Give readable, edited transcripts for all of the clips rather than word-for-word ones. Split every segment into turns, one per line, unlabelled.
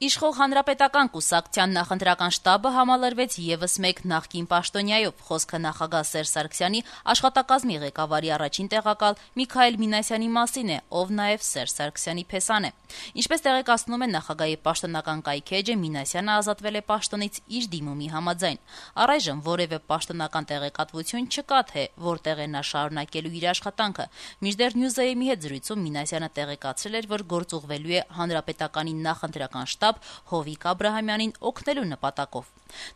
Իշխող հանրապետական կուսակցության նախընտրական շտաբը համալրվեց ևս մեկ նախկին պաշտոնյայով, խոսքը նախագահ Սերժ Սարգսյանի աշխատակազմի ղեկավարի առաջին տեղակալ Միքայել Մինասյանի մասին է, ով նաև Սերժ Սարգսյանի փեսան է։ Ինչպես տեղեկացնում են նախագահի պաշտոնական կայքէջը, Մինասյանը ազատվել է պաշտոնից իր դիմումի համաձայն։ Առայժմ որևէ պաշտոնական տեղեկատվություն չկա, թե որտեղ է նա շարունակելու իր աշխատանքը։ Մինչդեռ Նյուզայեմի հետ զրույցում Մինասյանը տեղեկացրել էր, որ գործուղվելու է հանրապետականի նախընտրական շտաբ Հովիկ Աբրահամյանին օգնելու նպատակով։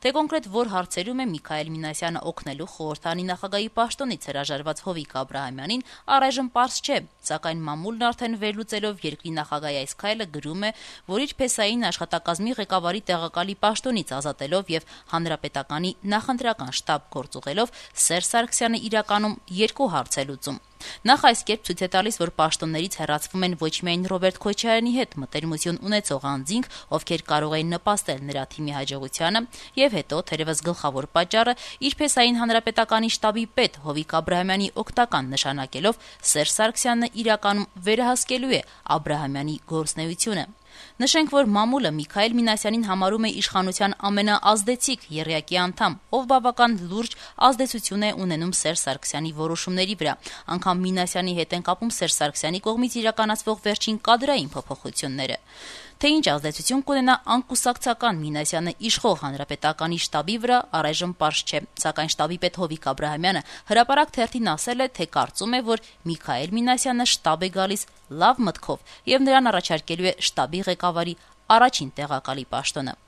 Թե կոնկրետ որ հարցերում է Միքայել Մինասյանը օգնելու խորհրդանի նախագահի պաշտոնից հրաժարված Հովիկ Աբրահամյանին, առայժմ պարզ չէ, սակայն մամուլն արդեն վերլուծելով երկրի նախագահի այս քայլը գրում է, որ իր փեսային աշխատակազմի ղեկավարի տեղակալի պաշտոնից ազատելով եւ հանրապետականի նախընտրական շտաբ գործուղելով Սերժ Սարգսյանը իրականում երկու հարց է լուծում։ Նախ այս կերպ ցույց է տալիս, որ պաշտոններից հեռացվում են ոչ միայն Ռոբերտ Քոչարյանի հետ մտերմություն ունեցող անձինք, ովքեր կարող էին նպաստել նրա թիմի հաջողությանը, եւ հետո, թերևս գլխավոր պատճառը, իր փեսային հանրապետականի շտաբի պետ Հովիկ Աբրահամյանի օգտական նշանակելով, Սերժ Սարգսյանը իրականում վերահսկելու է Աբրահամյանի գործունեությունը։ Նշենք, որ մամուլը Միքայել Մինասյանին համարում է իշխանության ամենաազդեցիկ եռյակի անդամ, ով բավական լուրջ ազդեցություն է ունենում Սերժ Սարգսյանի որոշումների վրա։ Անգամ Մինասյանի հետ են կապում Սերժ Սարգսյանի կողմից իրականացվող վերջին կադրային փոփոխությունները։ Թե ինչ ազդեցություն կունենա անկուսակցական Մինասյանը իշխող հանրապետականի շտաբի վրա, առայժմ պարզ չէ, սակայն շտաբի պետ Հովիկ Աբրահամյանը հրապարակ թերթին ասել է, թե կարծում է, որ Միքայել Մինասյանը շտաբ է գալիս լավ մտքով եւ նրան առաջարկելու է շտաբի ղեկավարի առաջին տեղակալի պաշտոնը։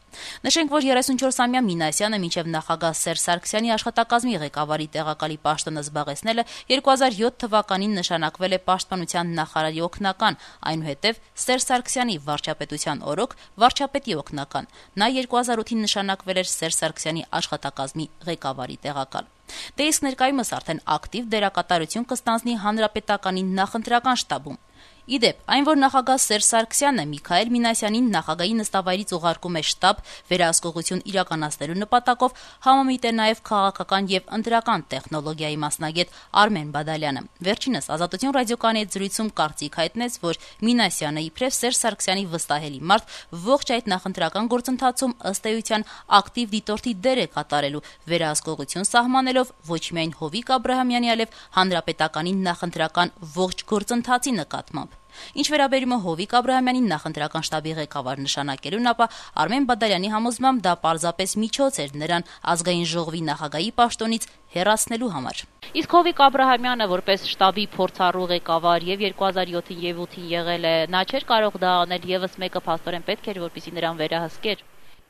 Նշենք, որ 34-ամյա Մինասյանը մինչև նախագահ Սերժ Սարգսյանի աշխատակազմի ղեկավարի տեղակալի պաշտոնը զբաղեցնելը 2007 թվականին նշանակվել է պաշտպանության նախարարի օգնական, այնուհետև Սերժ Սարգսյանի վարչապետության օրոք վարչապետի օգնական։ Նա 2008-ին նշանակվել էր Սերժ Սարգսյանի աշխատակազմի ղեկավարի տեղակալ։ Դե իսկ ներկայումս արդեն ակտիվ դերակատարություն կստանձնի հանրապետականի նախընտրական շտաբում։ Իդեպ, այն որ նախագահ Սերժ Սարգսյանը Միքայել Մինասյանին նախագահի նստավայրից ուղարկում է շտաբ վերահսկողություն իրականացնելու նպատակով, համամիտ է նաև քաղաքական եւ ընտրական տեխնոլոգիայի մասնագետ Արմեն Բադալյանը։ Վերջինս Ազատություն ռադիոկայանի հետ զրույցում կարծիք հայտնեց, որ Մինասյանը իբրև Սերժ Սարգսյանի վստահելի մարդ ողջ այդ նախընտրական գործընթացում ըստ էության ակտիվ դիտորդի դեր է կատարելու, վերահսկողություն սահմանելով ոչ միայն Հովիկ Աբրահամյանի, այլև հանրապետականի նախընտրական ողջ գործընթացի նկատմամբ։ Ինչ վերաբերում է Հովիկ Աբրահամյանին նախընտրական շտաբի ղեկավար նշանակելուն, ապա Արմեն Բադալյանի համոզմամբ դա պարզապես միջոց էր նրան ազգային ժողովի նախագահի պաշտոնից հեռացնելու համար։ Իսկ Հովիկ Աբրահամյանը որպես շտաբի փորձառու ղեկավար եւ 2007-ին եւ 2008-ին եղել է, նա չէր կարող դա անել, եւս մեկը փաստորեն պետք էր, որպեսզի նրան վերահսկեր։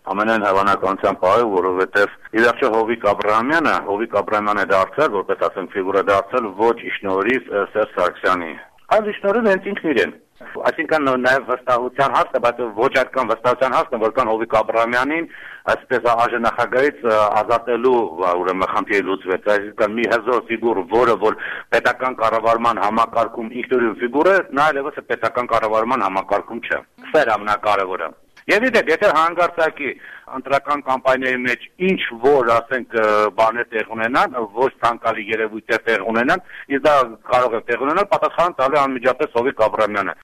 Ամենայն հավանականության պահը, որովհետև ի վերջո Հովիկ Աբրահամյանը դարձել, որպես ասենք ֆիգուրա դարձել ոչ իշնորհիվ Սերժ Սարգսյանի, այլ իշնորհիվ հենց ինքն իրեն։ Այսինքն նաև վստահության հարցը, բայց ոչ այդքան վստահության հարցն է, որքան Հովիկ Աբրահամյանին այսպես աժնախագահից ազատելու ուրեմն խնդիրը լուծվեց։ Այսինքն մի հզոր ֆիգուր, որը որ պետական կառավարման համակարգում ինքնուրույն ֆիգուր է, նա այլևս պետական կառավարման համակարգում չէ։ Սա է ամենակարևորը։ Եվ իդեպ, եթե հանգարցակի ընտրական կամպանիայի մեջ ինչ որ, ասենք, բաներ տեղ ունենան, ոչ ցանկալի երևույթներ տեղ ունենան, իսկ դա կարող է տեղ ունենալ, պատասխան տալու անմիջապես Հովիկ Աբրահամյանը։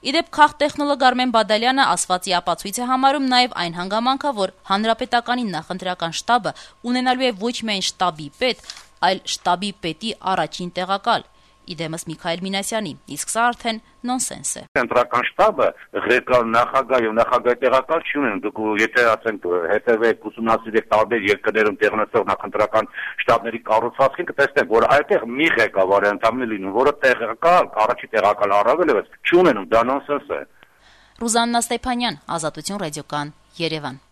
Իդեպ քաղտեխնոլոգ Արմեն Բադալյանը ասվածի ապացույց է համարում նաև այն հանգամանքը, որ հանրապետականի նախընտրական շտաբը ունենալու է ոչ միայն շտաբի պետ, այլ շտաբի պետի առաջին տեղակալ։ Իդեմս Միքայել Մինասյանի, իսկ սա արդեն նոնսենս է։
Ընտրական շտաբը ղեկավար նախագահ եւ նախագահի տեղակալ չունեն։ Դուք եթե ասենք հետևեք ուսումնասիրեք տարբեր երկրներում տեղ ունեցող նախընտրական շտաբների կառուցվածքին, կտեսնեք, որ այդտեղ մի ղեկավար է ընդամենը լինում, որը տեղակալ, առաջի տեղակալ առավել եւս չունենում, դա նոնսենս է։
Ռուզաննա Ստեփանյան, Ազատություն ռադիոկայան, Երևան։